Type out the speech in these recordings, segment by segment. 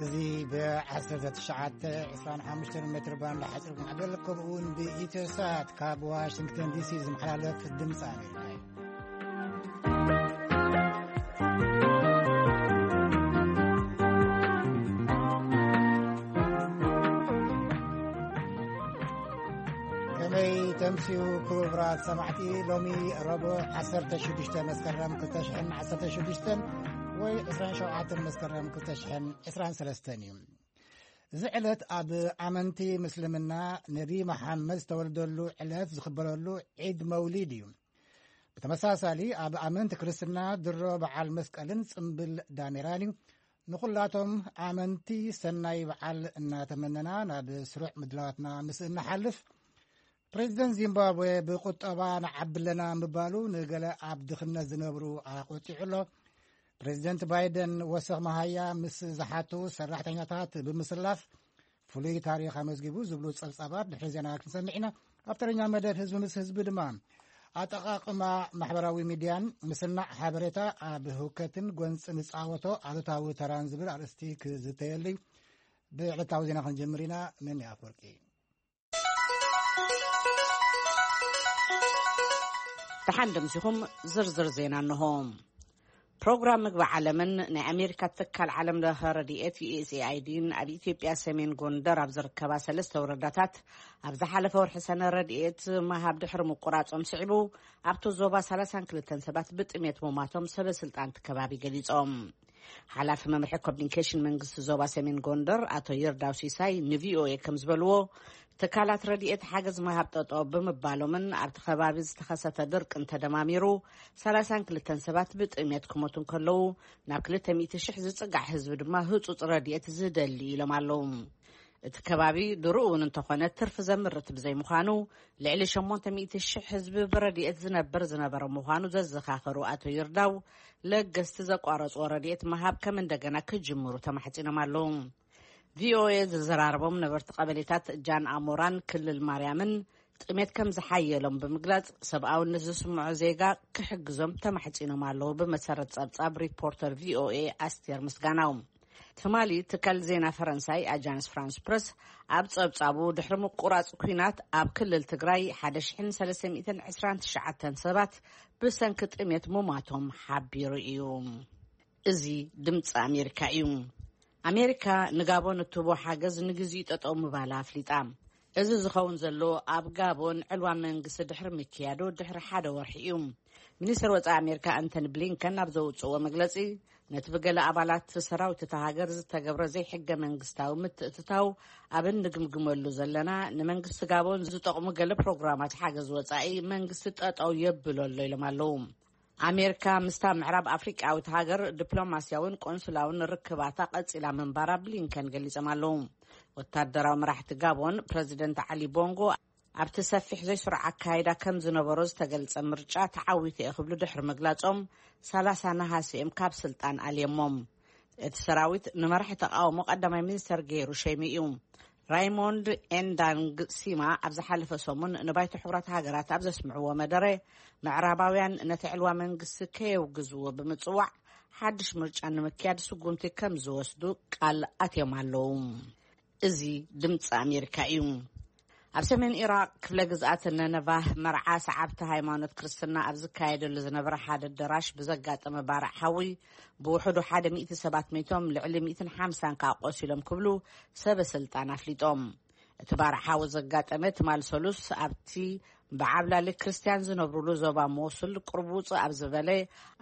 እዚ ብ1925 ሜትር ባንድ ሓፂር ማዕበል ከምኡ እውን ብኢትዮሳት ካብ ዋሽንግተን ዲሲ ዝመሓላለፍ ድምፂ ኣሜሪካ እዩ። ከመይ ተምስዩ ክቡራት ሰማዕቲ? ሎሚ ረቡዕ 16 መስከረም 2016 ወይ 27 መስከረም 2023 እዩ። እዚ ዕለት ኣብ ኣመንቲ ምስልምና ነቢ መሓመድ ዝተወልደሉ ዕለት ዝኽበረሉ ዒድ መውሊድ እዩ። ብተመሳሳሊ ኣብ ኣመንቲ ክርስትና ድሮ በዓል መስቀልን ጽምብል ዳሜራን እዩ። ንኹላቶም ኣመንቲ ሰናይ በዓል እናተመነና ናብ ስሩዕ ምድላዋትና ምስ እንሓልፍ፣ ፕሬዚደንት ዚምባብዌ ብቁጠባ ንዓቢ ኣለና ምባሉ ንገለ ኣብ ድኽነት ዝነብሩ ኣቆጢዑ ኣሎ። ፕሬዚደንት ባይደን ወሰኽ መሃያ ምስ ዝሓቱ ሰራሕተኛታት ብምስላፍ ፍሉይ ታሪኽ ኣመዝጊቡ ዝብሉ ጸብጻባት ድሕሪ ዜና ክንሰምዕ ኢና። ኣብ ተረኛ መደብ ህዝቢ ምስ ህዝቢ ድማ ኣጠቓቕማ ማሕበራዊ ሚድያን ምስናዕ ሓበሬታ ኣብ ህውከትን ጎንጽ ንጻወቶ ኣሉታዊ ተራን ዝብል ኣርእስቲ ክዝተየሉ እዩ። ብዕለታዊ ዜና ክንጀምር ኢና። መን ኣፍወርቂ። ደሓን ደምሲኹም ዝርዝር ዜና እንሆ። ፕሮግራም ምግቢ ዓለምን ናይ ኣሜሪካ ትካል ዓለም ለኸ ረድኤት ዩ ኤስ ኤ ኣይ ዲን ኣብ ኢትዮጵያ ሰሜን ጎንደር ኣብ ዝርከባ ሰለስተ ወረዳታት ኣብ ዝሓለፈ ወርሒ ሰነ ረድኤት መሃብ ድሕሪ ምቁራጾም ስዒቡ ኣብቲ ዞባ 32 ሰባት ብጥሜት ምሟቶም ሰበ ስልጣን እቲ ከባቢ ገሊጾም። ሓላፊ መምርሒ ኮሚኒኬሽን መንግስቲ ዞባ ሰሜን ጎንደር ኣቶ ይርዳው ሲሳይ ንቪኦኤ ከም ዝበልዎ፣ ትካላት ረድኤት ሓገዝ ምሃብ ጠጠው ብምባሎምን ኣብቲ ከባቢ ዝተኸሰተ ድርቅን ተደማሚሩ 32 ሰባት ብጥሜት ክሞቱ እንከለዉ፣ ናብ 200,000 ዝጽጋዕ ህዝቢ ድማ ህጹጽ ረድኤት ዝደሊ ኢሎም ኣለዉ። እቲ ከባቢ ድሮ እውን እንተኾነ ትርፊ ዘምርት ብዘይምዃኑ፣ ልዕሊ 800,000 ህዝቢ ብረድኤት ዝነብር ዝነበረ ምዃኑ ዘዘኻኸሩ ኣቶ ይርዳው፣ ለገስቲ ዘቋረጽዎ ረድኤት ምሃብ ከም እንደገና ክጅምሩ ተማሕጺኖም ኣለዉ። ቪኦኤ ዝዘራረቦም ነበርቲ ቀበሌታት ጃን ኣሞራን ክልል ማርያምን ጥሜት ከም ዝሓየሎም ብምግላጽ፣ ሰብኣውነት ዝስምዖ ዜጋ ክሕግዞም ተማሕጺኖም ኣለዉ፣ ብመሰረት ጸብጻብ ሪፖርተር ቪኦኤ ኣስቴር ምስጋናው። ትማሊ ትካል ዜና ፈረንሳይ ኣጃንስ ፍራንስ ፕረስ ኣብ ጸብጻቡ፣ ድሕሪ ምቁራጽ ኲናት ኣብ ክልል ትግራይ 1,329 ሰባት ብሰንኪ ጥሜት ምሟቶም ሓቢሩ እዩ። እዚ ድምፂ ኣሜሪካ እዩ። ኣሜሪካ ንጋቦን እትህቦ ሓገዝ ንግዚኡ ጠጠው ምባላ ኣፍሊጣ። እዚ ዝኸውን ዘሎ ኣብ ጋቦን ዕልዋ መንግስቲ ድሕሪ ምክያዱ ድሕሪ ሓደ ወርሒ እዩ። ሚኒስትር ወፃኢ ኣሜሪካ ኣንቶኒ ብሊንከን ኣብ ዘውፅእዎ መግለፂ፣ ነቲ ብገለ ኣባላት ሰራዊት እታ ሃገር ዝተገብረ ዘይሕገ መንግስታዊ ምትእትታው ኣብ እንግምግመሉ ዘለና፣ ንመንግስቲ ጋቦን ዝጠቕሙ ገለ ፕሮግራማት ሓገዝ ወፃኢ መንግስቲ ጠጠው የብሎ ኣሎ ኢሎም ኣለዉ። ኣሜሪካ ምስታ ምዕራብ ኣፍሪቃዊት ሃገር ዲፕሎማስያውን ቆንስላውን ርክባታ ቀጺላ ምንባራ ብሊንከን ገሊጾም ኣለዉ። ወታደራዊ መራሕቲ ጋቦን ፕረዚደንት ዓሊ ቦንጎ ኣብቲ ሰፊሕ ዘይስሩዕ ኣካይዳ ከም ዝነበሮ ዝተገልጸ ምርጫ ተዓዊተ እየ ክብሉ ድሕሪ ምግላጾም፣ 30 ነሃሲ እዮም ካብ ስልጣን ኣልየሞም። እቲ ሰራዊት ንመራሒ ተቃውሞ ቀዳማይ ሚኒስተር ገይሩ ሸይሙ እዩ። ራይሞንድ ኤንዳንግ ሲማ ኣብ ዝሓለፈ ሰሙን ንባይቶ ሕቡራት ሃገራት ኣብ ዘስምዕዎ መደረ፣ ምዕራባውያን ነቲ ዕልዋ መንግስቲ ከየውግዝዎ ብምጽዋዕ፣ ሓድሽ ምርጫ ንምክያድ ስጉምቲ ከም ዝወስዱ ቃል ኣትዮም ኣለዉ። እዚ ድምፂ ኣሜሪካ እዩ። ኣብ ሰሜን ኢራቅ ክፍለ ግዝኣት ነነቫህ መርዓ ሰዓብቲ ሃይማኖት ክርስትና ኣብ ዝካየደሉ ዝነበረ ሓደ ኣደራሽ ብዘጋጠመ ባርዕ ሓዊ ብውሕዱ ሓደ ሚእቲ ሰባት ሞይቶም፣ ልዕሊ ሚእትን ሓምሳን ከኣ ቆሲሎም ክብሉ ሰበ ስልጣን ኣፍሊጦም። እቲ ባርዕ ሓዊ ዘጋጠመ ትማል ሰሉስ ኣብቲ ብዓብላሊ ክርስትያን ዝነብሩሉ ዞባ ሞሱል ቅርቡጽ ኣብ ዝበለ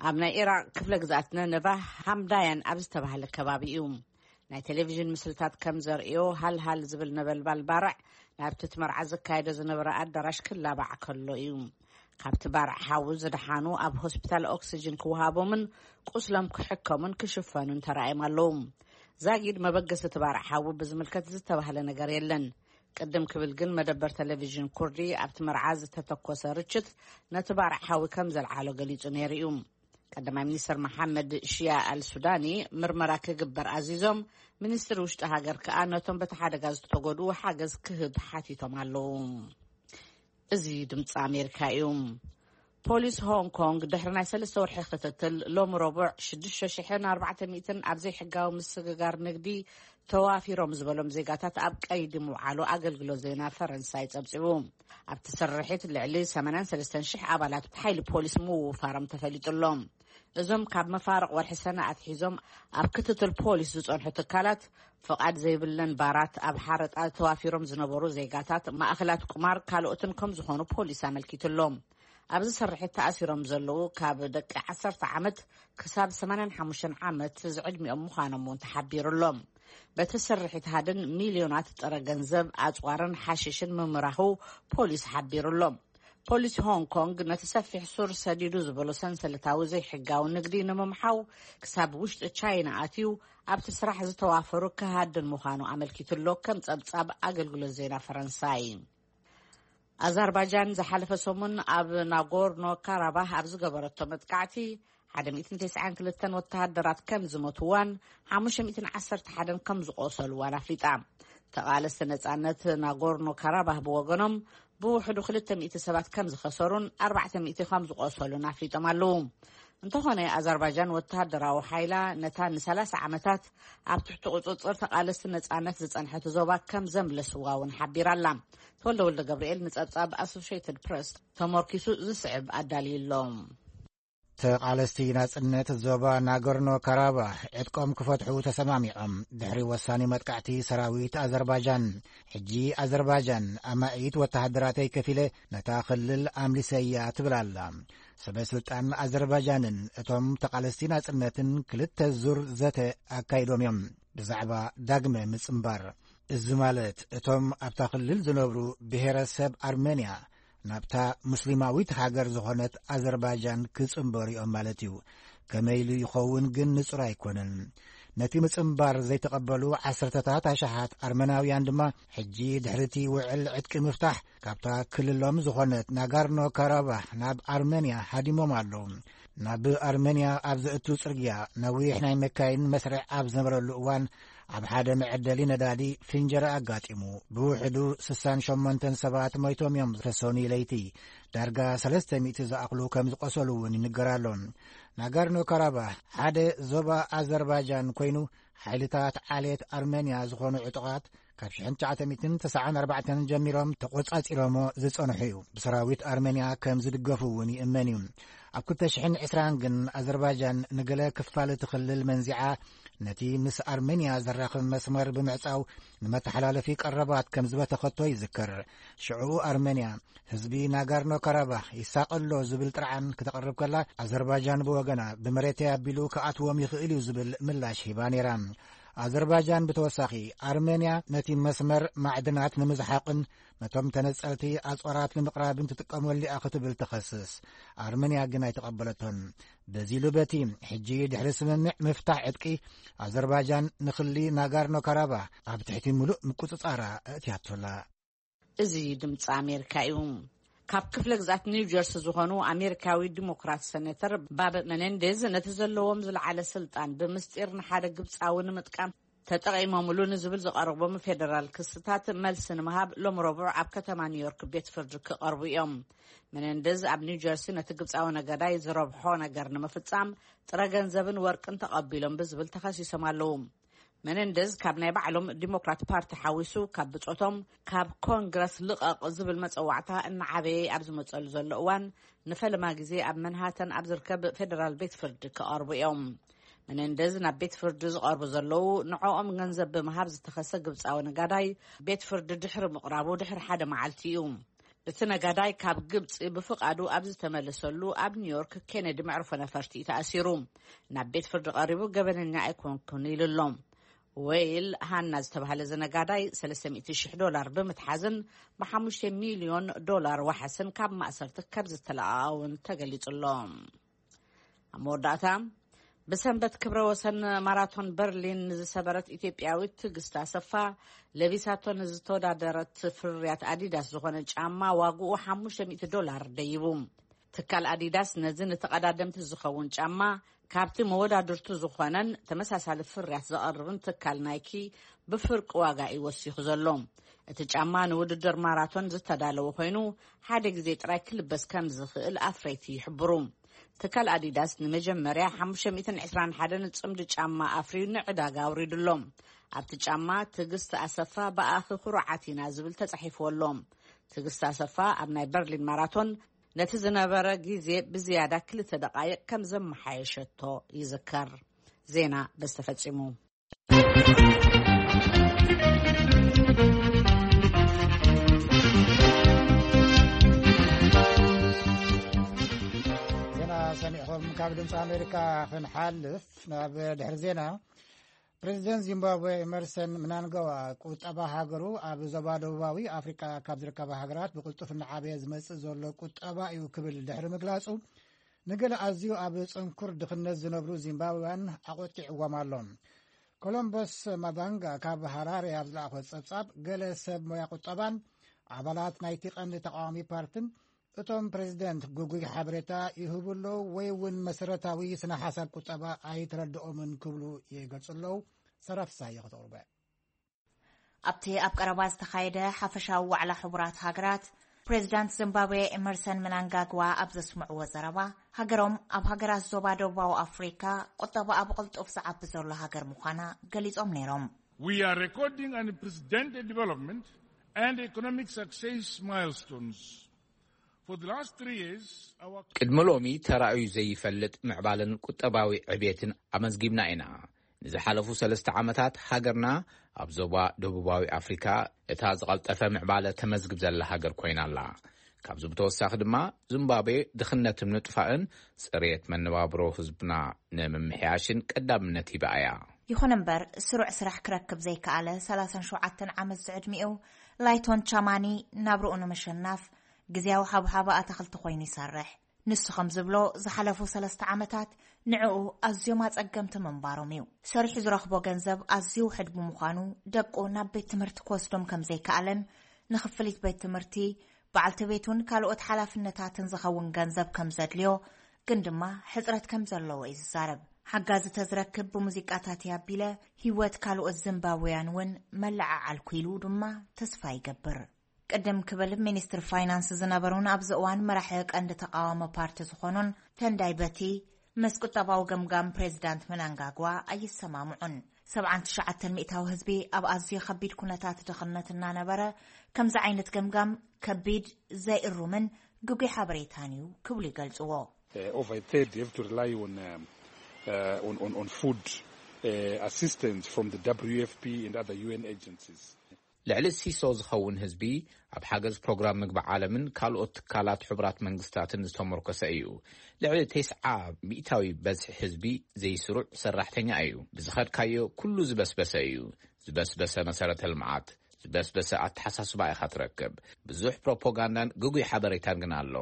ኣብ ናይ ኢራቅ ክፍለ ግዝኣት ነነቫህ ሃምዳያን ኣብ ዝተባህለ ከባቢ እዩ። ናይ ቴሌቪዥን ምስልታት ከም ዘርእዮ፣ ሃልሃል ዝብል ነበልባል ባርዕ ናብቲ እቲ መርዓ ዝካየዶ ዝነበረ ኣዳራሽ ክላባዕ ከሎ እዩ። ካብቲ ባርዕ ሓዊ ዝደሓኑ ኣብ ሆስፒታል ኦክሲጅን ክወሃቦምን ቁስሎም ክሕከሙን ክሽፈኑን ተራእዮም ኣለዉ። ዛጊድ መበገሲ እቲ ባርዕ ሓዊ ብዝምልከት ዝተባህለ ነገር የለን። ቅድም ክብል ግን መደበር ቴሌቪዥን ኩርዲ ኣብቲ መርዓ ዝተተኮሰ ርችት ነቲ ባርዕ ሓዊ ከም ዘልዓሎ ገሊጹ ነይሩ እዩ። ቀዳማይ ሚኒስትር መሓመድ ሽያ ኣል ሱዳኒ ምርመራ ክግበር ኣዚዞም፣ ሚኒስትሪ ውሽጢ ሃገር ከኣ ነቶም በቲ ሓደጋ ዝተጎድኡ ሓገዝ ክህብ ሓቲቶም ኣለዉ። እዚ ድምፂ ኣሜሪካ እዩ። ፖሊስ ሆንግ ኮንግ ድሕሪ ናይ ሰለስተ ወርሒ ክትትል፣ ሎሚ ረቡዕ ሽዱሽተ ሽሕን ኣርባዕተ ሚእትን ኣብ ዘይሕጋዊ ምስግጋር ንግዲ ተዋፊሮም ዝበሎም ዜጋታት ኣብ ቀይዲ ምውዓሉ ኣገልግሎት ዜና ፈረንሳይ ጸብጺቡ። ኣብቲ ስርሒት ልዕሊ ሰማንያን ሰለስተን ሽሕ ኣባላት ሓይሊ ፖሊስ ምውፋሮም ተፈሊጡ ኣሎ። እዞም ካብ መፋርቕ ወርሒ ሰነ ኣትሒዞም ኣብ ክትትል ፖሊስ ዝጸንሑ ትካላት፣ ፍቓድ ዘይብለን ባራት፣ ኣብ ሓረጣ ተዋፊሮም ዝነበሩ ዜጋታት፣ ማእኸላት ቁማር ካልኦትን ከም ዝኾኑ ፖሊስ ኣመልኪቱ ኣሎ። ኣብዚ ስርሒት ተኣሲሮም ዘለዉ ካብ ደቂ ዓሰርተ ዓመት ክሳብ ሰማንያን ሓሙሽተን ዓመት ዝዕድሚኦም ምዃኖም እውን ተሓቢሩ ኣሎ። በቲ ስርሒት ሃድን ሚልዮናት ጥረ ገንዘብ ኣጽዋርን ሓሽሽን ምምራኹ ፖሊስ ሓቢሩ ኣሎ። ፖሊስ ሆንግ ኮንግ ነቲ ሰፊሕ ሱር ሰዲዱ ዝበሎ ሰንሰለታዊ ዘይሕጋዊ ንግዲ ንምምሓው ክሳብ ውሽጢ ቻይና ኣትዩ ኣብቲ ስራሕ ዝተዋፈሩ ክሃድን ምዃኑ ኣመልኪቱ ኣሎ፣ ከም ጸብጻብ ኣገልግሎት ዜና ፈረንሳይ። ኣዘርባጃን ዝሓለፈ ሰሙን ኣብ ናጎርኖ ካራባህ ኣብ ዝገበረቶ መጥቃዕቲ ሓደ ሚእትን ተስዓን ክልተን ወተሃደራት ከም ዝሞትዋን ሓሙሽተ ሚእትን ዓሰርተ ሓደን ከም ዝቆሰልዋን ኣፍሊጣ። ተቓለስቲ ነጻነት ናጎርኖ ካራባህ ብወገኖም ብውሕዱ ክልተ ሚእቲ ሰባት ከም ዝኸሰሩን ኣርባዕተ ሚእቲ ከም ዝቆሰሉን ኣፍሊጦም ኣለዉ። እንተኾነ ኣዘርባጃን ወተሃደራዊ ሓይላ ነታ ንሰላሳ ዓመታት ኣብ ትሕቲ ቁጽጽር ተቓለስቲ ነጻነት ዝጸንሐት ዞባ ከም ዘምለስዋ እውን ሓቢራ ኣላ። ተወልደ ወልደ ገብርኤል ንጸብጻብ ኣሶሽየትድ ፕረስ ተመርኪሱ ዝስዕብ ኣዳልዩ ኣሎ። ተቓለስቲ ናጽነት ዞባ ናጎርኖ ካራባህ ዕጥቆም ክፈትሑ ተሰማሚዖም ድሕሪ ወሳኒ መጥቃዕቲ ሰራዊት ኣዘርባጃን። ሕጂ ኣዘርባጃን ኣማኢት ወተሃደራተይ ከፊለ ነታ ክልል ኣምሊሰያ ትብል ኣላ። ሰበ ስልጣን ኣዘርባጃንን እቶም ተቓለስቲ ናጽነትን ክልተ ዙር ዘተ ኣካይዶም እዮም ብዛዕባ ዳግመ ምጽንባር። እዚ ማለት እቶም ኣብታ ክልል ዝነብሩ ብሄረሰብ ኣርመንያ ናብታ ሙስሊማዊት ሃገር ዝኾነት ኣዘርባጃን ክጽንበሩ እዮም ማለት እዩ። ከመይ ኢሉ ይኸውን ግን ንጹር ኣይኮነን። ነቲ ምጽንባር ዘይተቐበሉ ዓሰርተታት ኣሽሓት ኣርመናውያን ድማ ሕጂ ድሕሪ እቲ ውዕል ዕጥቂ ምፍታሕ ካብታ ክልሎም ዝኾነት ናጋርኖ ካራባህ ናብ ኣርመንያ ሃዲሞም ኣለዉ። ናብ ኣርመንያ ኣብ ዘእቱ ጽርግያ ነዊሕ ናይ መካይን መስርዕ ኣብ ዝነበረሉ እዋን ኣብ ሓደ መዐደሊ ነዳዲ ፍንጀራ ኣጋጢሙ ብውሕዱ ስሳን ሸሞንተን ሰባት ሞይቶም እዮም። ተሰኑይ ለይቲ ዳርጋ ሰለስተ ሚእቲ ዝኣኽሉ ከም ዝቆሰሉ እውን ይንገር ኣሎ። ናጋርኖ ካራባህ ሓደ ዞባ ኣዘርባጃን ኮይኑ ሓይልታት ዓሌት ኣርመንያ ዝኾኑ ዕጡቓት ካብ ሽሕን ትሽዓተ ሚእትን ተስዓን ኣርባዕተን ጀሚሮም ተቖጻጺሮሞ ዝጸንሑ እዩ። ብሰራዊት ኣርመንያ ከም ዝድገፉ እውን ይእመን እዩ። ኣብ ክልተ ሽሕን ዕስራን ግን ኣዘርባጃን ንገለ ክፋል እቲ ክልል መንዚዓ ነቲ ምስ ኣርመንያ ዘራኽብ መስመር ብምዕጻው ንመተሓላለፊ ቀረባት ከም ዝበተኸቶ ይዝከር። ሽዑ ኣርመንያ ህዝቢ ናጋርኖ ካራባህ ይሳቐሎ ዝብል ጥርዓን ክተቕርብ ከላ፣ ኣዘርባጃን ብወገና ብመሬተይ ኣቢሉ ክኣትዎም ይኽእል እዩ ዝብል ምላሽ ሂባ ነይራ። ኣዘርባጃን ብተወሳኺ ኣርመንያ ነቲ መስመር ማዕድናት ንምዝሓቕን ነቶም ተነጸልቲ ኣጽዋራት ንምቕራብን ትጥቀመሉ እያ ክትብል ትኸስስ። ኣርመንያ ግን ኣይተቐበለቶን። በዚ ኢሉ በቲ ሕጂ ድሕሪ ስምምዕ ምፍታሕ ዕጥቂ ኣዘርባጃን ንክሊ ናጋርኖ ካራባህ ኣብ ትሕቲ ምሉእ ምቁጽጻራ ኣእትያቶላ። እዚ ድምፂ ኣሜሪካ እዩ። ካብ ክፍለ ግዛት ኒው ጀርሲ ዝኾኑ ኣሜሪካዊ ዲሞክራት ሰኔተር ባብ መኔንዴዝ ነቲ ዘለዎም ዝለዓለ ስልጣን ብምስጢር ንሓደ ግብፃዊ ንምጥቃም ተጠቒሞምሉ ንዝብል ዝቐረቦም ፌደራል ክስታት መልሲ ንምሃብ ሎም ረቡዕ ኣብ ከተማ ኒውዮርክ ቤት ፍርዲ ክቐርቡ እዮም። መኔንዴዝ ኣብ ኒው ጀርሲ ነቲ ግብፃዊ ነጋዳይ ዝረብሖ ነገር ንምፍፃም ጥረ ገንዘብን ወርቅን ተቐቢሎም ብዝብል ተኸሲሶም ኣለዉ። መነንደዝ ካብ ናይ ባዕሎም ዲሞክራት ፓርቲ ሓዊሱ ካብ ብጾቶም ካብ ኮንግረስ ልቐቕ ዝብል መጸዋዕታ እናዓበየ ኣብ ዝመጸሉ ዘሎ እዋን ንፈለማ ግዜ ኣብ መንሃተን ኣብ ዝርከብ ፌደራል ቤት ፍርዲ ክቐርቡ እዮም። መነንደዝ ናብ ቤት ፍርዲ ዝቐርቡ ዘለዉ ንዕኦም ገንዘብ ብምሃብ ዝተኸሰ ግብጻዊ ነጋዳይ ቤት ፍርዲ ድሕሪ ምቕራቡ ድሕሪ ሓደ መዓልቲ እዩ። እቲ ነጋዳይ ካብ ግብጺ ብፍቓዱ ኣብ ዝተመለሰሉ ኣብ ኒውዮርክ ኬነዲ መዕርፎ ነፈርቲ እዩ ተኣሲሩ። ናብ ቤት ፍርዲ ቀሪቡ ገበነኛ ኣይኮንኩን ኢሉ ኣሎ። ዌይል ሃና ዝተባህለ እዚ ነጋዳይ ሰለስተ ሚእቲ ሽሕ ዶላር ብምትሓዝን ብሓሙሽተ ሚልዮን ዶላር ዋሕስን ካብ ማእሰርቲ ከም ዝተለቐቐ እውን ተገሊጹ ኣሎ። ኣብ መወዳእታ፣ ብሰንበት ክብረ ወሰን ማራቶን በርሊን ንዝሰበረት ኢትዮጵያዊት ትዕግስት ኣሰፋ ለቢሳቶ ንዝተወዳደረት ፍርያት ኣዲዳስ ዝኾነ ጫማ ዋግኡ ሓሙሽተ ሚእቲ ዶላር ደይቡ። ትካል ኣዲዳስ ነዚ ንተቐዳደምቲ ዝኸውን ጫማ ካብቲ መወዳድርቱ ዝኾነን ተመሳሳሊ ፍርያት ዘቐርብን ትካል ናይኪ ብፍርቂ ዋጋ እዩ ወሲኹ ዘሎ። እቲ ጫማ ንውድድር ማራቶን ዝተዳለወ ኮይኑ፣ ሓደ ግዜ ጥራይ ክልበስ ከም ዝኽእል ኣፍረይቲ ይሕብሩ። ትካል ኣዲዳስ ንመጀመርያ ሓሙሽተ ሚእትን ዕስራን ሓደን ጽምዲ ጫማ ኣፍርዩ ንዕዳጋ ኣውሪዱ ኣሎ። ኣብቲ ጫማ ትዕግስቲ ኣሰፋ ብኣኺ ኩሩዓት ኢና ዝብል ተጻሒፍዎ ኣሎ። ትዕግስቲ ኣሰፋ ኣብ ናይ በርሊን ማራቶን ነቲ ዝነበረ ግዜ ብዝያዳ ክልተ ደቓይቕ ከም ዘመሓየሸቶ ይዝከር። ዜና በዚ ተፈጺሙ። ዜና ሰሚዕኹም ካብ ድምፂ ኣሜሪካ ክንሓልፍ ናብ ድሕሪ ዜና። ፕሬዚደንት ዚምባብዌ ኤመርሰን ምናንጋዋ ቁጠባ ሃገሩ ኣብ ዞባ ደቡባዊ ኣፍሪቃ ካብ ዝርከባ ሃገራት ብቕልጡፍ እናዓበየ ዝመጽእ ዘሎ ቁጠባ እዩ ክብል ድሕሪ ምግላጹ፣ ንገለ ኣዝዩ ኣብ ጽንኩር ድኽነት ዝነብሩ ዚምባብያን ኣቖጢዕዎም ኣሎ። ኮሎምቦስ ማባንጋ ካብ ሃራሬ ኣብ ዝለኣኾ ጸብጻብ፣ ገለ ሰብ ሞያ ቁጠባን ኣባላት ናይቲ ቀንዲ ተቃዋሚ ፓርትን እቶም ፕሬዚደንት ግጉይ ሓበሬታ ይህቡ ኣለዉ ወይ እውን መሰረታዊ ስነ ሓሳብ ቁጠባ ኣይተረድኦምን ክብሉ ይገልጹ ኣለዉ። ሰራፍሳዮ ከተቕርበ። ኣብቲ ኣብ ቀረባ ዝተኻየደ ሓፈሻዊ ዋዕላ ሕቡራት ሃገራት፣ ፕሬዚዳንት ዚምባብዌ ኤመርሰን ምናንጋግዋ ኣብ ዘስምዕዎ ዘረባ፣ ሃገሮም ኣብ ሃገራት ዞባ ደቡባዊ ኣፍሪካ ቁጠባኣ ብቕልጡፍ ዝዓቢ ዘሎ ሃገር ምዃና ገሊጾም ነይሮም። We are recording an unprecedented development and economic success milestones. For the last three years, our ቅድሚ ሎሚ ተራእዩ ዘይፈልጥ ምዕባለን ቁጠባዊ ዕብየትን ኣመዝጊብና ኢና። ንዝሓለፉ ሰለስተ ዓመታት ሃገርና ኣብ ዞባ ደቡባዊ ኣፍሪካ እታ ዝቐልጠፈ ምዕባለ ተመዝግብ ዘላ ሃገር ኮይና ኣላ። ካብዚ ብተወሳኺ ድማ ዚምባብዌ ድኽነት ንምጥፋእን ጽሬት መነባብሮ ህዝብና ንምምሕያሽን ቀዳምነት ሂባ እያ። ይኹን እምበር፣ ስሩዕ ስራሕ ክረክብ ዘይከኣለ ሰላሳን ሸውዓተን ዓመት ዝዕድሚኡ ላይቶን ቻማኒ ናብርኡ ንምሽናፍ ግዝያዊ ሓብሓብ ኣታኽልቲ ኮይኑ ይሰርሕ። ንሱ ከም ዝብሎ፣ ዝሓለፉ ሰለስተ ዓመታት ንዕኡ ኣዝዮም ኣጸገምቲ ምንባሮም እዩ። ሰሪሑ ዝረኽቦ ገንዘብ ኣዝዩ ውሑድ ብምዃኑ፣ ደቁ ናብ ቤት ትምህርቲ ክወስዶም ከም ዘይከኣለን፣ ንኽፍሊት ቤት ትምህርቲ፣ በዓልቲ ቤቱን ካልኦት ሓላፍነታትን ዝኸውን ገንዘብ ከም ዘድልዮ፣ ግን ድማ ሕጽረት ከም ዘለዎ እዩ ዝዛረብ። ሓጋዚ ተዝረክብ ብሙዚቃታት እየ ኣቢለ፣ ህይወት ካልኦት ዚምባብውያን እውን መለዓዓልኩ ኢሉ ድማ ተስፋ ይገብር። ቅድም ክብል ሚኒስትር ፋይናንስ ዝነበሩን ኣብዚ እዋን መራሒ ቀንዲ ተቃዋሚ ፓርቲ ዝኾኑን ተንዳይ በቲ ምስ ቁጠባዊ ገምጋም ፕሬዚዳንት ምናንጋግዋ ኣይሰማምዑን። ሰብዓን ትሽዓተን ሚእታዊ ህዝቢ ኣብ ኣዝዩ ከቢድ ኩነታት ድኽነት እናነበረ፣ ከምዚ ዓይነት ገምጋም ከቢድ፣ ዘይእሩምን ግጉይ ሓበሬታን እዩ ክብሉ ይገልጽዎ። Uh, over a third have to rely on, um, uh, on, on, on food uh, assistance from the W F P and other U N agencies. ልዕሊ ሲሶ ዝኸውን ህዝቢ ኣብ ሓገዝ ፕሮግራም ምግቢ ዓለምን ካልኦት ትካላት ሕቡራት መንግስታትን ዝተመርኮሰ እዩ። ልዕሊ ተስዓ ሚእታዊ በዝሒ ህዝቢ ዘይስሩዕ ሰራሕተኛ እዩ። ብዝኸድካዮ ኩሉ ዝበስበሰ እዩ። ዝበስበሰ መሰረተ ልምዓት፣ ዝበስበሰ ኣተሓሳስባ ኢኻ ትረክብ። ብዙሕ ፕሮፓጋንዳን ግጉይ ሓበሬታን ግን ኣሎ።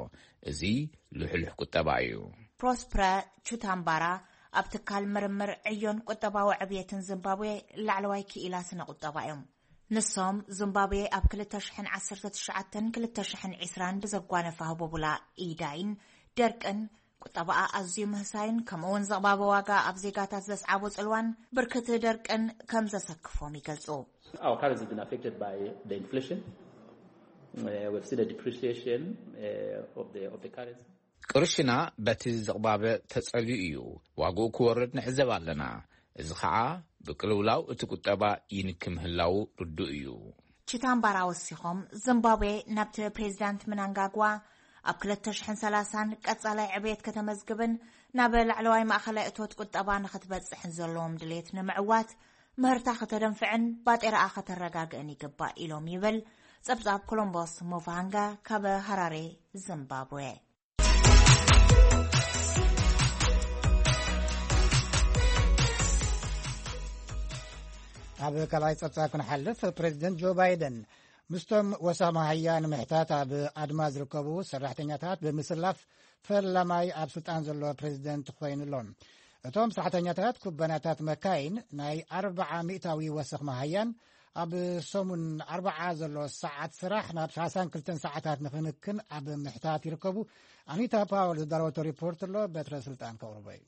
እዚ ልሕሉሕ ቁጠባ እዩ። ፕሮስፕረ ቹታምባራ ኣብ ትካል ምርምር ዕዮን ቁጠባዊ ዕብየትን ዚምባብዌ ላዕለዋይ ክኢላ ስነ ቁጠባ እዮም። ንሶም፣ ዚምባብዌ ኣብ ክልተ ሽሕን ዓሰርተ ትሽዓተን ክልተ ሽሕን ዕስራን ብዘጓነፋ ህቦቡላ ኢዳይን ደርቅን፣ ቁጠባኣ ኣዝዩ ምህሳይን ከምኡ እውን ዘቕባበ ዋጋ ኣብ ዜጋታት ዘስዓቦ ጽልዋን ብርክቲ ደርቅን ከም ዘሰክፎም ይገልጹ። Our currency has been affected by the inflation. Uh, we've seen a depreciation uh, of the of the currency. ቅርሽና በቲ ዝቕባበ ተጸልዩ እዩ። ዋግኡ ክወርድ ንዕዘብ ኣለና። እዚ ኸዓ ብቅልውላው እቲ ቁጠባ ይንኪ ምህላዉ ርዱእ እዩ። ቺታምባራ ወሲኾም፣ ዚምባብዌ ናብቲ ፕሬዚዳንት ምናንጋግዋ ኣብ ክልተ ሽሕን ሰላሳን ቀጻላይ ዕብየት ከተመዝግብን ናብ ላዕለዋይ ማእኸላይ እቶት ቁጠባ ንኽትበጽሕን ዘለዎም ድሌት ንምዕዋት፣ ምህርታ ከተደንፍዕን ባጤራኣ ከተረጋግእን ይግባእ ኢሎም ይብል ጸብጻብ ኮሎምቦስ ሞቫሃንጋ ካብ ሃራሬ ዚምባብዌ። ኣብ ካልኣይ ጸብጻብ ክንሓልፍ፣ ፕሬዚደንት ጆ ባይደን ምስቶም ወሰኽ መሃያ ንምሕታት ኣብ ኣድማ ዝርከቡ ሰራሕተኛታት ብምስላፍ ፈላማይ ኣብ ስልጣን ዘሎ ፕሬዚደንት ኮይኑ ኣሎ። እቶም ሰራሕተኛታት ኩባንያታት መካይን ናይ ኣርብዓ ሚእታዊ ወሰኽ መሃያን ኣብ ሰሙን ኣርብዓ ዘሎ ሰዓት ስራሕ ናብ ሰላሳን ክልተን ሰዓታት ንኽንክን ኣብ ምሕታት ይርከቡ። ኣኒታ ፓወል ዝዳለወቶ ሪፖርት ኣሎ፣ በትረ ስልጣን ከቕርቦ እዩ።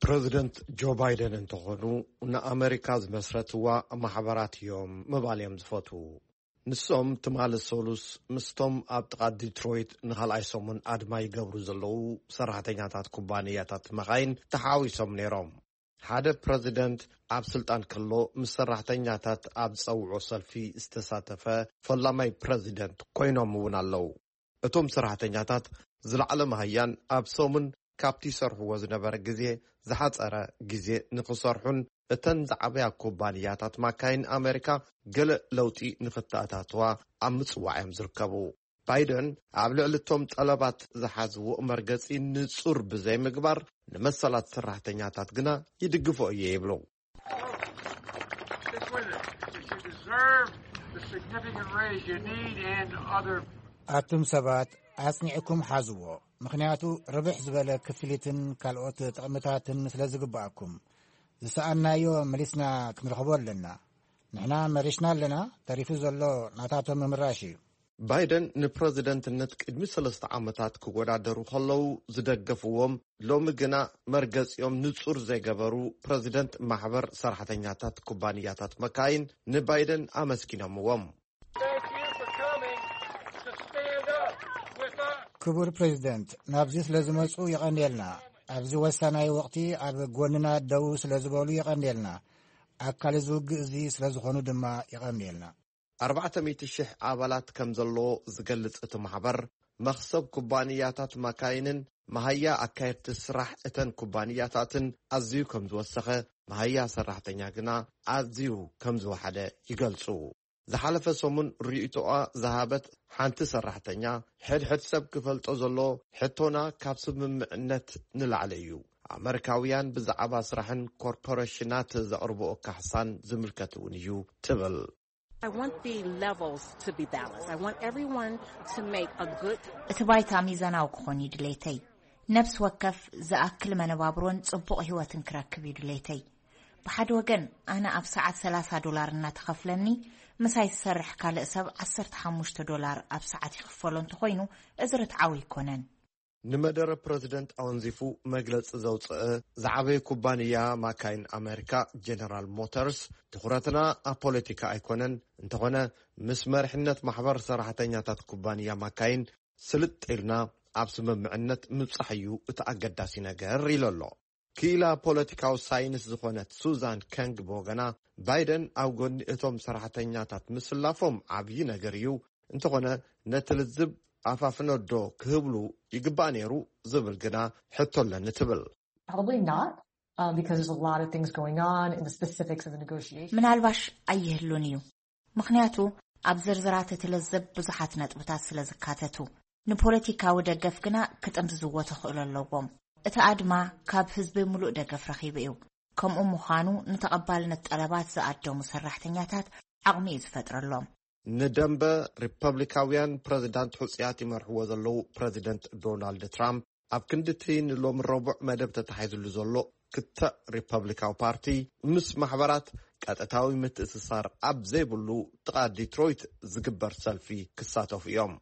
ፕረዚደንት ጆ ባይደን እንተኾኑ፣ ንኣመሪካ ዝመስረትዋ ማሕበራት እዮም ምባል እዮም ዝፈትዉ። ንሶም ትማሊ ሰሉስ ምስቶም ኣብ ጥቓ ዲትሮይት ንኻልኣይ ሰሙን ኣድማ ይገብሩ ዘለዉ ሰራሕተኛታት ኩባንያታት መኻይን ተሓዋዊሶም ነይሮም። ሓደ ፕረዚደንት ኣብ ስልጣን ከሎ ምስ ሰራሕተኛታት ኣብ ዝጸውዖ ሰልፊ ዝተሳተፈ ፈላማይ ፕረዚደንት ኮይኖም እውን ኣለዉ። እቶም ሰራሕተኛታት ዝለዓለ መሃያን ኣብ ሰሙን ካብቲ ይሰርሕዎ ዝነበረ ግዜ ዝሓጸረ ግዜ ንኽሰርሑን እተን ዝዓበያ ኩባንያታት ማካይን ኣመሪካ ገለ ለውጢ ንኽተኣታትዋ ኣብ ምጽዋዕ እዮም ዝርከቡ። ባይደን ኣብ ልዕሊ እቶም ጠለባት ዝሓዝዎ መርገጺ ንጹር ብዘይምግባር ንመሰላት ሰራሕተኛታት ግና ይድግፎ እየ ይብሉ። Stick with it. If you deserve the significant raise you need and other ኣቱም ሰባት ኣጽኒዕኩም ሓዝዎ፣ ምኽንያቱ ርብሕ ዝበለ ክፍሊትን ካልኦት ጥቕምታትን ስለ ዝግብኣኩም። ዝሰኣናዮ መሊስና ክንረኽቦ ኣለና። ንሕና መሪሽና ኣለና፣ ተሪፉ ዘሎ ናታቶም ምምራሽ እዩ። ባይደን ንፕረዚደንትነት ቅድሚ ሰለስተ ዓመታት ክወዳደሩ ከለዉ ዝደገፍዎም፣ ሎሚ ግና መርገጺኦም ንጹር ዘይገበሩ ፕረዚደንት ማሕበር ሰራሕተኛታት ኩባንያታት መካይን ንባይደን ኣመስጊኖምዎም። Thank you for coming to stand up with us. ክቡር ፕሬዚደንት፣ ናብዚ ስለ ዝመጹ የቐንየልና። ኣብዚ ወሳናይ ወቕቲ ኣብ ጎንና ደው ስለ ዝበሉ የቐንየልና። ኣካል እዚ ውግእ እዚ ስለ ዝኾኑ ድማ የቐንየልና። ኣርባዕተ ሚእቲ ሽሕ ኣባላት ከም ዘለዎ ዝገልጽ እቲ ማሕበር፣ መኽሰብ ኩባንያታት ማካይንን መሃያ ኣካየድቲ ስራሕ እተን ኩባንያታትን ኣዝዩ ከም ዝወሰኸ፣ መሃያ ሰራሕተኛ ግና ኣዝዩ ከም ዝወሓደ ይገልጹ። ዝሓለፈ ሰሙን ርእይቶኣ ዝሃበት ሓንቲ ሰራሕተኛ፣ ሕድሕድ ሰብ ክፈልጦ ዘሎ ሕቶና ካብ ስምምዕነት ንላዕሊ እዩ። ኣመሪካውያን ብዛዕባ ስራሕን ኮርፖሬሽናት ዘቕርብኦ ካሕሳን ዝምልከት እውን እዩ ትብል። I want the levels to be balanced. I want everyone to make a good እቲ ባይታ ሚዛናዊ ክኾን እዩ ድሌተይ። ነብሲ ወከፍ ዝኣክል መነባብሮን ጽቡቕ ህይወትን ክረክብ እዩ ድሌተይ። ብሓደ ወገን፣ ኣነ ኣብ ሰዓት ሰላሳ ዶላር እናተኸፍለኒ፣ ምሳይ ዝሰርሕ ካልእ ሰብ ዓሰርተ ሓሙሽተ ዶላር ኣብ ሰዓት ይኽፈሎ እንተኾይኑ፣ እዚ ርትዓዊ ኣይኮነን። ንመደረ ፕረዚደንት ኣወንዚፉ መግለጺ ዘውጽአ ዝዓበየ ኩባንያ ማካይን ኣመሪካ ጀነራል ሞተርስ፣ ትኹረትና ኣብ ፖለቲካ ኣይኮነን፣ እንተኾነ ምስ መሪሕነት ማሕበር ሰራሕተኛታት ኩባንያ ማካይን ስልጥ ኢልና ኣብ ስምምዕነት ምብጻሕ እዩ እቲ ኣገዳሲ ነገር ኢሉ ኣሎ። ክኢላ ፖለቲካዊ ሳይንስ ዝኾነት ሱዛን ከንግ ብወገና፣ ባይደን ኣብ ጎኒ እቶም ሰራሕተኛታት ምስላፎም ዓብዪ ነገር እዩ፣ እንተኾነ ነቲ ልዝብ ኣፋፍነዶ ክህብሉ ይግባእ ነይሩ ዝብል ግና ሕቶ ኣለኒ ትብል። Probably not, um, because there's a lot of things going on in the specifics of the negotiation. ምናልባሽ ኣይህሉን እዩ፣ ምኽንያቱ ኣብ ዝርዝራት እቲ ልዝብ ብዙሓት ነጥብታት ስለ ዝካተቱ። ንፖለቲካዊ ደገፍ ግና ክጥምዝዝዎ ተኽእሎ ኣለዎም። እቲ ኣድማ ካብ ህዝቢ ምሉእ ደገፍ ረኺቡ እዩ። ከምኡ ምዃኑ፣ ንተቐባልነት ጠለባት ዝኣደሙ ሰራሕተኛታት ዓቕሚ እዩ ዝፈጥረሎም። ንደንበ ሪፐብሊካውያን ፕረዚዳንት ሕጹያት ይመርሕዎ ዘለዉ ፕረዚደንት ዶናልድ ትራምፕ፣ ኣብ ክንዲ እቲ ንሎሚ ረቡዕ መደብ ተታሒዙሉ ዘሎ ክትዕ ሪፐብሊካዊ ፓርቲ፣ ምስ ማሕበራት ቀጥታዊ ምትእስሳር ኣብ ዘይብሉ ጥቓ ዲትሮይት ዝግበር ሰልፊ ክሳተፉ እዮም።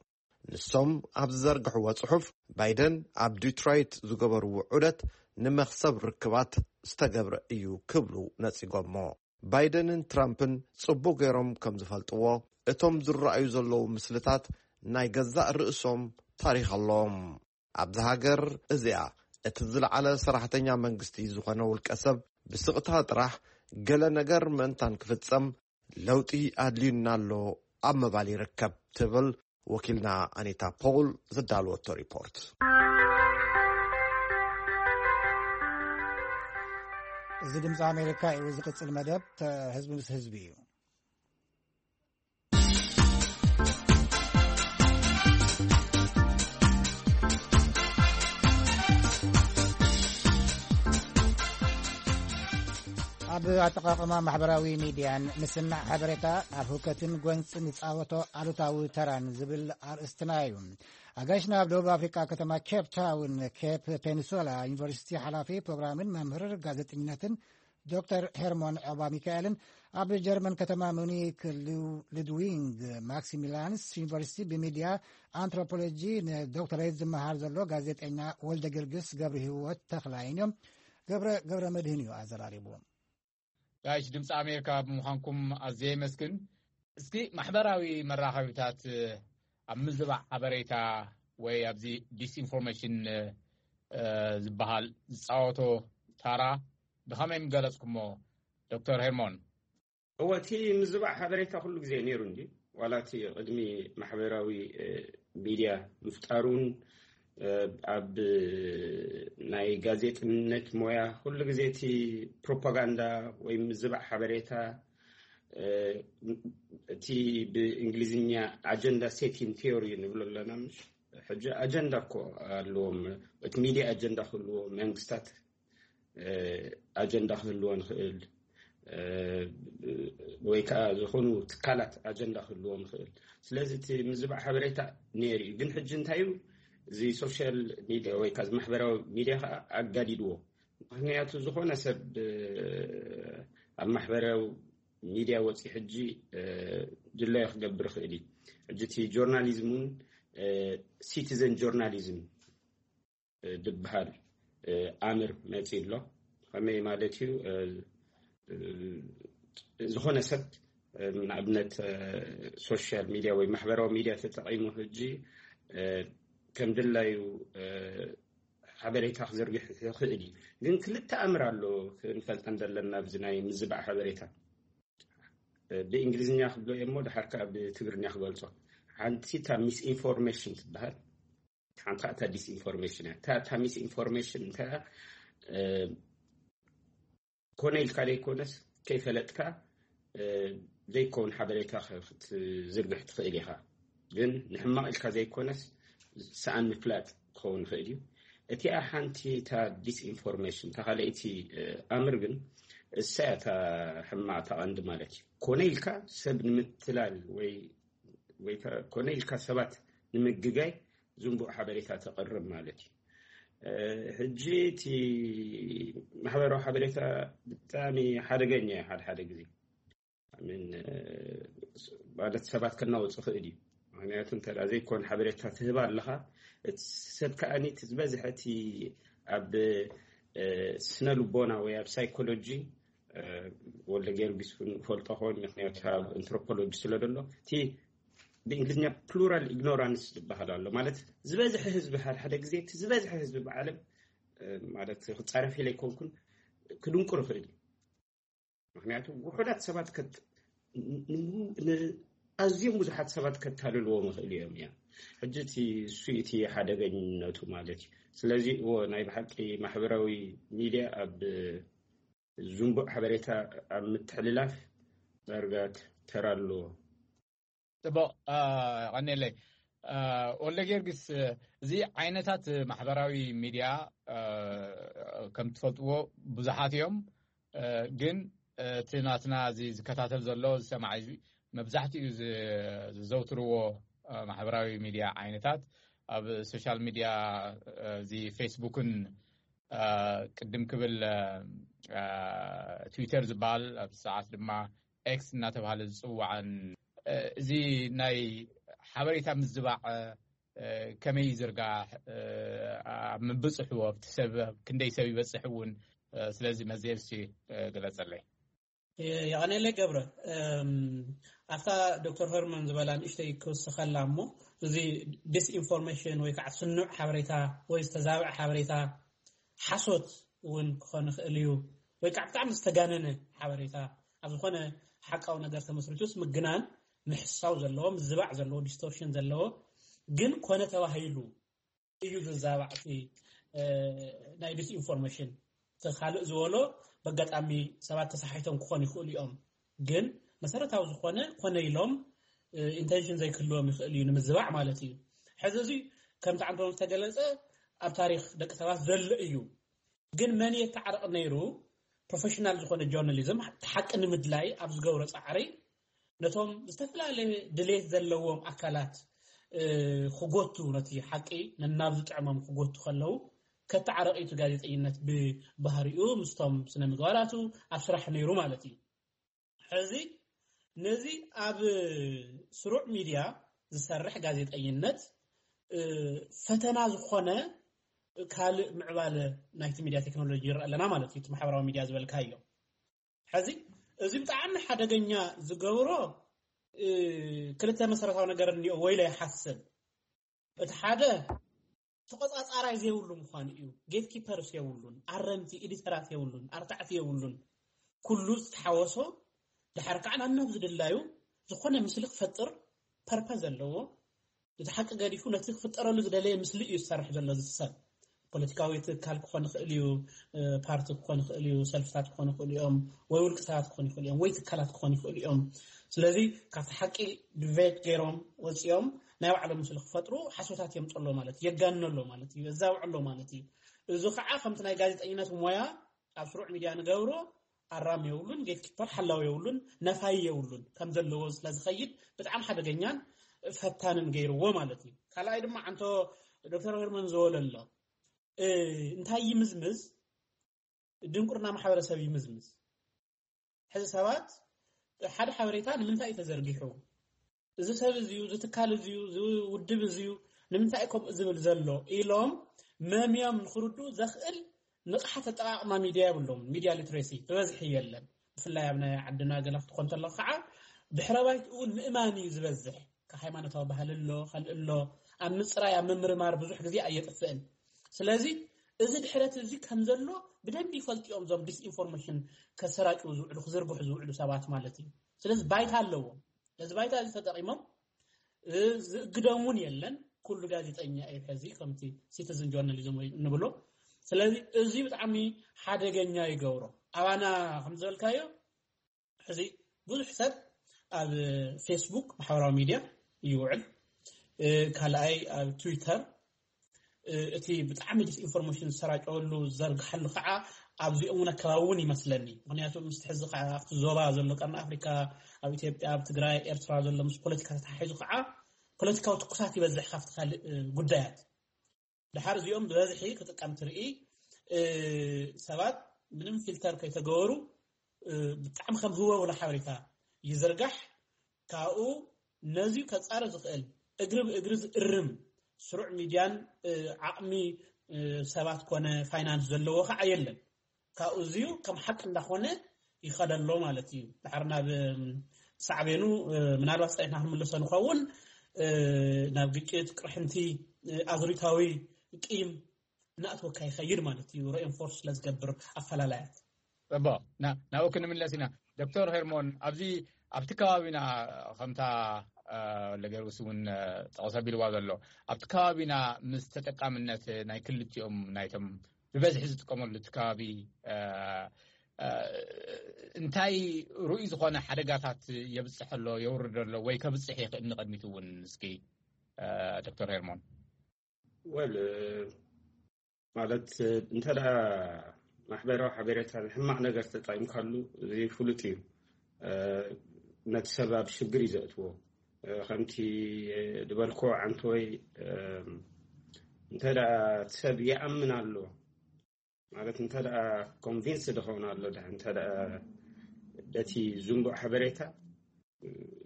ንሶም ኣብ ዝዘርግሕዎ ጽሑፍ፣ ባይደን ኣብ ዲትሮይት ዝገበርዎ ዑደት ንመኽሰብ ርክባት ዝተገብረ እዩ ክብሉ ነጺጎሞ። ባይደንን ትራምፕን ጽቡቕ ገይሮም ከም ዝፈልጥዎ፣ እቶም ዝረኣዩ ዘለዉ ምስልታት ናይ ገዛእ ርእሶም ታሪኽ ኣለዎም። ኣብዚ ሃገር እዚኣ፣ እቲ ዝለዓለ ሰራሕተኛ መንግስቲ ዝኾነ ውልቀ ሰብ ብስቕታ ጥራሕ ገለ ነገር ምእንታን ክፍጸም ለውጢ ኣድልዩና ኣሎ ኣብ ምባል ይርከብ ትብል ወኪልና ኣኒታ ፖውል ዝዳለወቶ ሪፖርት። እዚ ድምፂ ኣሜሪካ እዩ። ዝቕፅል መደብ ተ-፣ ህዝቢ ምስ ህዝቢ እዩ። ኣብ ኣጠቓቕማ ማሕበራዊ ሚድያን ምስናዕ ሓበሬታ ኣብ ህውከትን ጎንፅን ዝፃወቶ ኣሉታዊ ተራን ዝብል ኣርእስትና እዩ። ኣጋይሽና ኣብ ደቡብ ኣፍሪካ ከተማ ኬፕ ታውን ኬፕ ፔኒንሱላ ዩኒቨርሲቲ ሓላፊ ፕሮግራምን መምህር ጋዜጠኝነትን ዶክተር ሄርሞን ዖባ ሚካኤልን ኣብ ጀርመን ከተማ ሙኒክ ሉ- ሉድዊንግ ማክሲሚላንስ ዩኒቨርሲቲ ብሚድያ ኣንትሮፖሎጂ ንዶክተሬት ዝመሃር ዘሎ ጋዜጠኛ ወልደ ጊዮርጊስ ገብረ ህይወት ተኽላይን እዮም። ገብረ ገብረ መድህን እዩ ኣዘራሪቡ። ጋይሽ ድምፂ ኣሜሪካ ብምዃንኩም ኣዝየ የመስግን። እስኪ ማሕበራዊ መራኸቢታት ኣብ ምዝባዕ ሓበሬታ ወይ ኣብዚ ዲስኢንፎርሜሽን ዝበሃል ዝፃወቶ ታራ ብኸመይ ምገለፅኩሞ? ዶክተር ሄርሞን። እወ እቲ ምዝባዕ ሓበሬታ ኩሉ ግዜ ነይሩ እንዲ ዋላ እቲ ቅድሚ ማሕበራዊ ሚድያ ምፍጣሩን ኣብ ናይ ጋዜጥነት ሞያ ኩሉ ግዜ እቲ ፕሮፓጋንዳ ወይ ምዝባዕ ሓበሬታ እቲ ብእንግሊዝኛ ኣጀንዳ ሴቲን ቲዮሪ ንብሎ ኣለና። ሕጂ ኣጀንዳ እኮ ኣለዎም። እቲ ሚድያ ኣጀንዳ ክህልዎ መንግስታት ኣጀንዳ ክህልዎ ንኽእል ወይ ከዓ ዝኾኑ ትካላት ኣጀንዳ ክህልዎ ንኽእል። ስለዚ እቲ ምዝባዕ ሓበሬታ ነይሩ እዩ። ግን ሕጂ እንታይ እዩ እዚ ሶሻል ሚድያ ወይ ከዓ ማሕበራዊ ሚድያ ከዓ ኣጋዲድዎ። ምክንያቱ ዝኾነ ሰብ ኣብ ማሕበራዊ ሚድያ ወፂ ሕጂ ድላዩ ክገብር ይኽእል እዩ። ሕጂ እቲ ጆርናሊዝም እውን ሲቲዘን ጆርናሊዝም ዝበሃል ኣምር መፂ ኣሎ። ከመይ ማለት እዩ? ዝኾነ ሰብ ንኣብነት ሶሻል ሚድያ ወይ ማሕበራዊ ሚድያ ተጠቂሙ ሕጂ ከም ድላዩ ሓበሬታ ክዝርግሕ ይኽእል እዩ። ግን ክልተ ኣምር ኣሎ ክንፈልጠን ዘለና ኣብዚ ናይ ምዝባዕ ሓበሬታ። ብእንግሊዝኛ ክብሎ እየ እሞ ድሓር ከዓ ብትግርኛ ክገልጾ። ሓንቲ እታ ሚስኢንፎርሜሽን ትበሃል፣ ሓንቲ እታ ዲስኢንፎርሜሽን እያ። እታ ሚስኢንፎርሜሽን እንታይ እያ? ኮነ ኢልካ ዘይኮነስ ከይፈለጥካ ዘይከውን ሓበሬታ ክትዝርግሕ ትኽእል ኢኻ። ግን ንሕማቕ ኢልካ ዘይኮነስ ሰኣን ምፍላጥ ክኸውን ይኽእል እዩ። እቲኣ ሓንቲ እታ ዲስኢንፎርሜሽን እታ ካልኣይቲ ኣምር ግን እሳ እያ እታ ሕማቕ እታ ቀንዲ ማለት እዩ። ኮነ ኢልካ ሰብ ንምትላል ወይ ወይ ኮነ ኢልካ ሰባት ንምግጋይ ዝንቡዕ ሓበሬታ ተቕርብ ማለት እዩ። ሕጂ እቲ ማሕበራዊ ሓበሬታ ብጣዕሚ ሓደገኛ እዩ። ሓደ ሓደ ግዜ ማለት ሰባት ከናውፅ ይኽእል እዩ። ምክንያቱ እንተ ዘይኮን ሓበሬታ ትህባ ኣለኻ እቲ ሰብ ከዓኒ ዝበዝሐ እቲ ኣብ ስነ ልቦና ወይ ኣብ ሳይኮሎጂ ወልደ ጊዮርጊስ ፈልጦ ኾን ምክንያቱ ኣብ ኣንትሮፖሎጂ ስለ ዘሎ እቲ ብእንግሊዝኛ ፕሉራል ኢግኖራንስ ዝበሃል ኣሎ። ማለት ዝበዝሐ ህዝቢ ሓደ ሓደ ግዜ እቲ ዝበዝሐ ህዝቢ ብዓለም ማለት ክፃረፍ ኢለ ኣይኮንኩን ክድንቁር ይኽእል እዩ። ምክንያቱ ውሑዳት ሰባት ኣዝዮም ብዙሓት ሰባት ከታልልዎም ይኽእሉ እዮም። እያ ሕጂ እቲ እሱ እቲ ሓደገኝነቱ ማለት እዩ። ስለዚ እዎ ናይ ብሓቂ ማሕበራዊ ሚድያ ኣብ ዝንቡዕ ሓበሬታ ኣብ ምትሕልላፍ ዳርጋ ተራ ኣለዎ። ፅቡቕ። ቀኒለይ ወልደ ጊዮርጊስ፣ እዚ ዓይነታት ማሕበራዊ ሚድያ ከም ትፈልጥዎ ብዙሓት እዮም። ግን እቲ ናትና እዚ ዝከታተል ዘሎ ዝሰማዕ ህዝቢ መብዛሕትኡ ዝዘውትርዎ ማሕበራዊ ሚድያ ዓይነታት ኣብ ሶሻል ሚድያ እዚ ፌስቡክን ቅድም ክብል ትዊተር ዝበሃል ኣብ ሰዓት ድማ ኤክስ እናተባሃለ ዝፅዋዕን እዚ ናይ ሓበሬታ ምዝባዕ ከመይ ይዝርጋሕ፣ ኣብ ምብፅሑ ኣብቲ ሰብ ክንደይ ሰብ ይበፅሕ እውን ስለዚ መዝየብሲ ግለፀለይ። የቐኔለ ገብረ፣ ኣብታ ዶክተር ሄርመን ዝበላ ንእሽተይ ክውስኸላ እሞ እዚ ዲስኢንፎርሜሽን ወይ ከዓ ስኑዕ ሓበሬታ ወይ ዝተዛብዐ ሓበሬታ ሓሶት እውን ክኾን ይኽእል እዩ ወይ ከዓ ብጣዕሚ ዝተጋነነ ሓበሬታ ኣብ ዝኾነ ሓቃዊ ነገር ተመስሪቱስ ምግናን ምሕሳው ዘለዎ ምዝባዕ ዘለዎ ዲስቶርሽን ዘለዎ ግን ኮነ ተባሂሉ እዩ ዝዛባዕ እቲ ናይ ዲስኢንፎርሜሽን እቲ ካልእ ዝበሎ በጋጣሚ ሰባት ተሳሒቶም ክኾኑ ይኽእሉ እዮም ግን መሰረታዊ ዝኾነ ኮነ ኢሎም ኢንቴንሽን ዘይክህልዎም ይኽእል እዩ ንምዝባዕ ማለት እዩ። ሕዚ እዚ ከምቲ ዓንቶም ዝተገለፀ ኣብ ታሪክ ደቂ ሰባት ዘሎ እዩ። ግን መን የተዓረቕ ነይሩ ፕሮፌሽናል ዝኾነ ጆርናሊዝም ሓቂ ንምድላይ ኣብ ዝገብሮ ፃዕሪ ነቶም ዝተፈላለየ ድሌት ዘለዎም ኣካላት ክጎቱ ነቲ ሓቂ ነናብ ዝጥዕሞም ክጎቱ ከለዉ ከተዓረቕ እዩ እቲ ጋዜጠኝነት ብባህሪኡ ምስቶም ስነ ምግባራቱ ኣብ ስራሕ ነይሩ ማለት እዩ። ሕዚ ነዚ ኣብ ስሩዕ ሚድያ ዝሰርሕ ጋዜጠኝነት ፈተና ዝኾነ ካልእ ምዕባለ ናይቲ ሚድያ ቴክኖሎጂ ይረአ ኣለና ማለት እዩ። እቲ ማሕበራዊ ሚድያ ዝበልካዮ ሕዚ እዚ ብጣዕሚ ሓደገኛ ዝገብሮ ክልተ መሰረታዊ ነገር እኒኦ ወይለ ይሓስብ። እቲ ሓደ ተቆፃፃራይ ዘይብሉ ምዃኑ እዩ። ጌትኪፐርስ የብሉን፣ ኣረምቲ ኤዲተራት የብሉን፣ ኣርታዕቲ የብሉን። ኩሉ ዝተሓወሶ ድሓር ከዓ ናብ ናብ ዝድላዩ ዝኾነ ምስሊ ክፈጥር ፐርፐ ዘለዎ እቲ ሓቂ ገዲፉ ነቲ ክፍጠረሉ ዝደለየ ምስሊ እዩ ዝሰርሕ ዘሎ እዚ ሰብ። ፖለቲካዊ ትካል ክኾን ይኽእል እዩ፣ ፓርቲ ክኾን ይኽእል እዩ፣ ሰልፍታት ክኾን ይኽእሉ እዮም፣ ወይ ውልቂ ሰባት ክኾን ይኽእሉ እዮም፣ ወይ ትካላት ክኾን ይኽእሉ እዮም። ስለዚ ካብቲ ሓቂ ድቬት ገይሮም ወፂኦም ናይ ባዕሎም ምስሊ ክፈጥሩ ሓሶታት የምፅሎ ማለት እዩ፣ የጋንነሎ ማለት እዩ፣ የዛውዕሎ ማለት እዩ። እዚ ከዓ ከምቲ ናይ ጋዜጠኝነት ሞያ ኣብ ስሩዕ ሚድያ ንገብሮ ኣራም የብሉን፣ ጌትኪፐር ሓላው የብሉን፣ ነፋይ የብሉን። ከም ዘለዎ ስለዝኸይድ ብጣዕሚ ሓደገኛን ፈታንን ገይርዎ ማለት እዩ። ካልኣይ ድማ ዓንቶ ዶክተር ሄርመን ዝወለሎ እንታይ ይምዝምዝ? ድንቁርና ማሕበረሰብ ይምዝምዝ። ሕዚ ሰባት ሓደ ሓበሬታ ንምንታይ እዩ ተዘርጊሑ፣ እዚ ሰብ እዚዩ፣ እዚ ትካል እዚዩ፣ እዚ ውድብ እዚዩ፣ ንምንታይ ከምኡ ዝብል ዘሎ ኢሎም መምዮም ንክርድኡ ዘኽእል ንቕሓት ኣጠቓቕማ ሚድያ የብሎም። ሚድያ ሊትሬሲ ብበዝሒ የለን። ብፍላይ ኣብ ናይ ዓድና ገለ ክትኾን ተለኹ ከዓ ድሕረ ባይትኡ እውን ምእማን እዩ ዝበዝሕ። ካብ ሃይማኖታዊ ባህሊ ኣሎ፣ ካልእ ኣሎ፣ ኣብ ምፅራይ ኣብ ምምርማር ብዙሕ ግዜ ኣየጥፍእን። ስለዚ እዚ ድሕረት እዚ ከም ዘሎ ብደንቢ ይፈልጡ እዮም እዞም ዲስኢንፎርሜሽን ከሰራጭው ዝውዕሉ ክዝርግሑ ዝውዕሉ ሰባት ማለት እዩ። ስለዚ ባይታ ኣለዎም። ነዚ ባይታ እዚ ተጠቂሞም ዝእግዶም እውን የለን። ኩሉ ጋዜጠኛ እዩ ሕዚ ከምቲ ሲቲዝን ጆርናሊዝም ወይ ንብሎ። ስለዚ እዚ ብጣዕሚ ሓደገኛ ይገብሮ። ኣባና ከም ዝበልካዮ ሕዚ ብዙሕ ሰብ ኣብ ፌስቡክ ማሕበራዊ ሚድያ ይውዕል፣ ካልኣይ ኣብ ትዊተር እቲ ብጣዕሚ ዲስኢንፎርሜሽን ዝሰራጨወሉ ዝዘርግሓሉ ከዓ ኣብዚኦም እውን ኣከባቢ እውን ይመስለኒ። ምክንያቱ ምስቲ ሕዚ ከዓ ኣብቲ ዞባ ዘሎ ቀርኒ ኣፍሪካ ኣብ ኢትዮጵያ ኣብ ትግራይ ኤርትራ ዘሎ ምስ ፖለቲካ ተተሓሒዙ ከዓ ፖለቲካዊ ትኩሳት ይበዝሕ ካብቲ ካልእ ጉዳያት። ድሓር እዚኦም ብበዝሒ ክጥቀም ትርኢ ሰባት ምንም ፊልተር ከይተገበሩ ብጣዕሚ ከም ህወ ብሎ ሓበሬታ ይዝርጋሕ። ካብኡ ነዚ ከፃረ ዝኽእል እግሪ ብእግሪ ዝእርም ስሩዕ ሚድያን ዓቕሚ ሰባት ኮነ ፋይናንስ ዘለዎ ከዓ የለን። ካብኡ እዚዩ ከም ሓቂ እንዳኾነ ይኸደሎ ማለት እዩ። ድሓር ናብ ሳዕቤኑ ምናልባት ፀኒሕና ክንምልሶ ንኸውን ናብ ግጭት፣ ቅርሕንቲ፣ ኣዙሪታዊ ቂም እናእተወካ ይኸይድ ማለት እዩ። ሬኢንፎርስ ስለዝገብር ኣፈላላያት እቦ ናብኡ ክንምለስ ኢና። ዶክተር ሄርሞን ኣብዚ ኣብቲ ከባቢና ከምታ ለገርግስ እውን ጠቕሰ ቢልዋ ዘሎ ኣብቲ ከባቢና ምስ ተጠቃምነት ናይ ክልቲኦም ናይቶም ብበዝሒ ዝጥቀመሉ እቲ ከባቢ እንታይ ርኡይ ዝኾነ ሓደጋታት የብፅሕ ኣሎ የውርድ ኣሎ ወይ ከብፅሕ ይኽእል ንቐድሚት እውን እስኪ ዶክተር ሄርሞን ወል ማለት እንተ ማሕበራዊ ሓበሬታ ሕማቕ ነገር ተጠቂምካሉ እዚ ፍሉጥ እዩ። ነቲ ሰብ ኣብ ሽግር እዩ ዘእትዎ። ከምቲ ዝበልኮ ዓንተወይ እንተ እቲ ሰብ ይኣምን ኣሎ ማለት እንተ ኮንቪንስ ድኸውን ኣሎ ድ እንተ በቲ ዝንቡዕ ሓበሬታ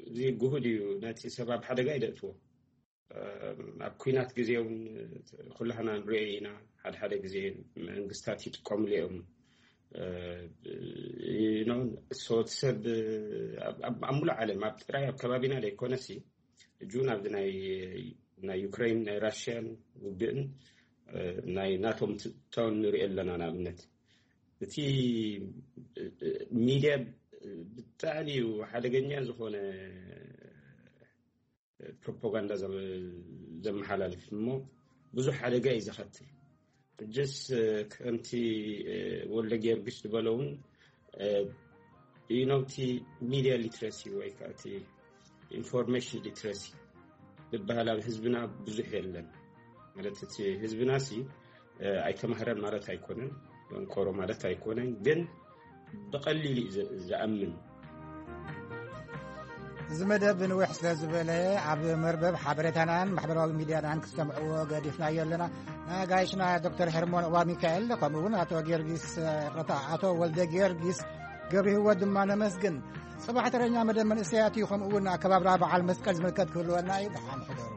እዚ ግሁድ እዩ። ነቲ ሰብ ኣብ ሓደጋ ይደእትዎ። ኣብ ኩናት ግዜ እውን ኩላህና ንሪኦ ኢና። ሓደ ሓደ ግዜ መንግስታት ይጥቀምሉ እዮም። ኖን ሶት ሰብ ኣብ ሙሉእ ዓለም ኣብ ጥራይ ኣብ ከባቢና ዘይኮነሲ እጁን ኣብዚ ናይ ናይ ዩክሬን ናይ ራሽያን ውግእን ናይ ናቶም ትታውን ንሪኦ ኣለና። ንኣብነት እቲ ሚድያ ብጣዕሚ እዩ ሓደገኛ ዝኾነ ፕሮፓጋንዳ ዘመሓላልፍ እሞ ብዙሕ ሓደጋ እዩ ዘኸትል። ሕጅስ ከምቲ ወልደ ጊዮርጊስ ዝበለውን ኢኖቲ ሚድያ ሊትረሲ ወይ ከዓ ኢንፎርሜሽን ሊትረሲ ዝበሃል ኣብ ህዝብና ብዙሕ የለን። ማለት እቲ ህዝብና ሲ ኣይተማህረን ማለት ኣይኮነን፣ ደንቆሮ ማለት ኣይኮነን፣ ግን ብቐሊል እዩ ዝኣምን። እዚ መደብ ንውሕ ስለ ዝበለ ኣብ መርበብ ሓበሬታናን ማሕበራዊ ሚድያናን ክሰምዕዎ ገዲፍናዮ ኣለና። ንጋይሽና ዶክተር ሄርሞን እባ ሚካኤል፣ ከምኡ እውን ኣቶ ጊዮርጊስ፣ ይቕረታ፣ ኣቶ ወልደ ጊዮርጊስ ገብረ ህይወት ድማ ነመስግን። ጽባሕ ተረኛ መደብ መንእሰያት እዩ፣ ከምኡ እውን ኣከባብራ በዓል መስቀል ዝምልከት ክህልወና እዩ። ደሓን ሕደሩ።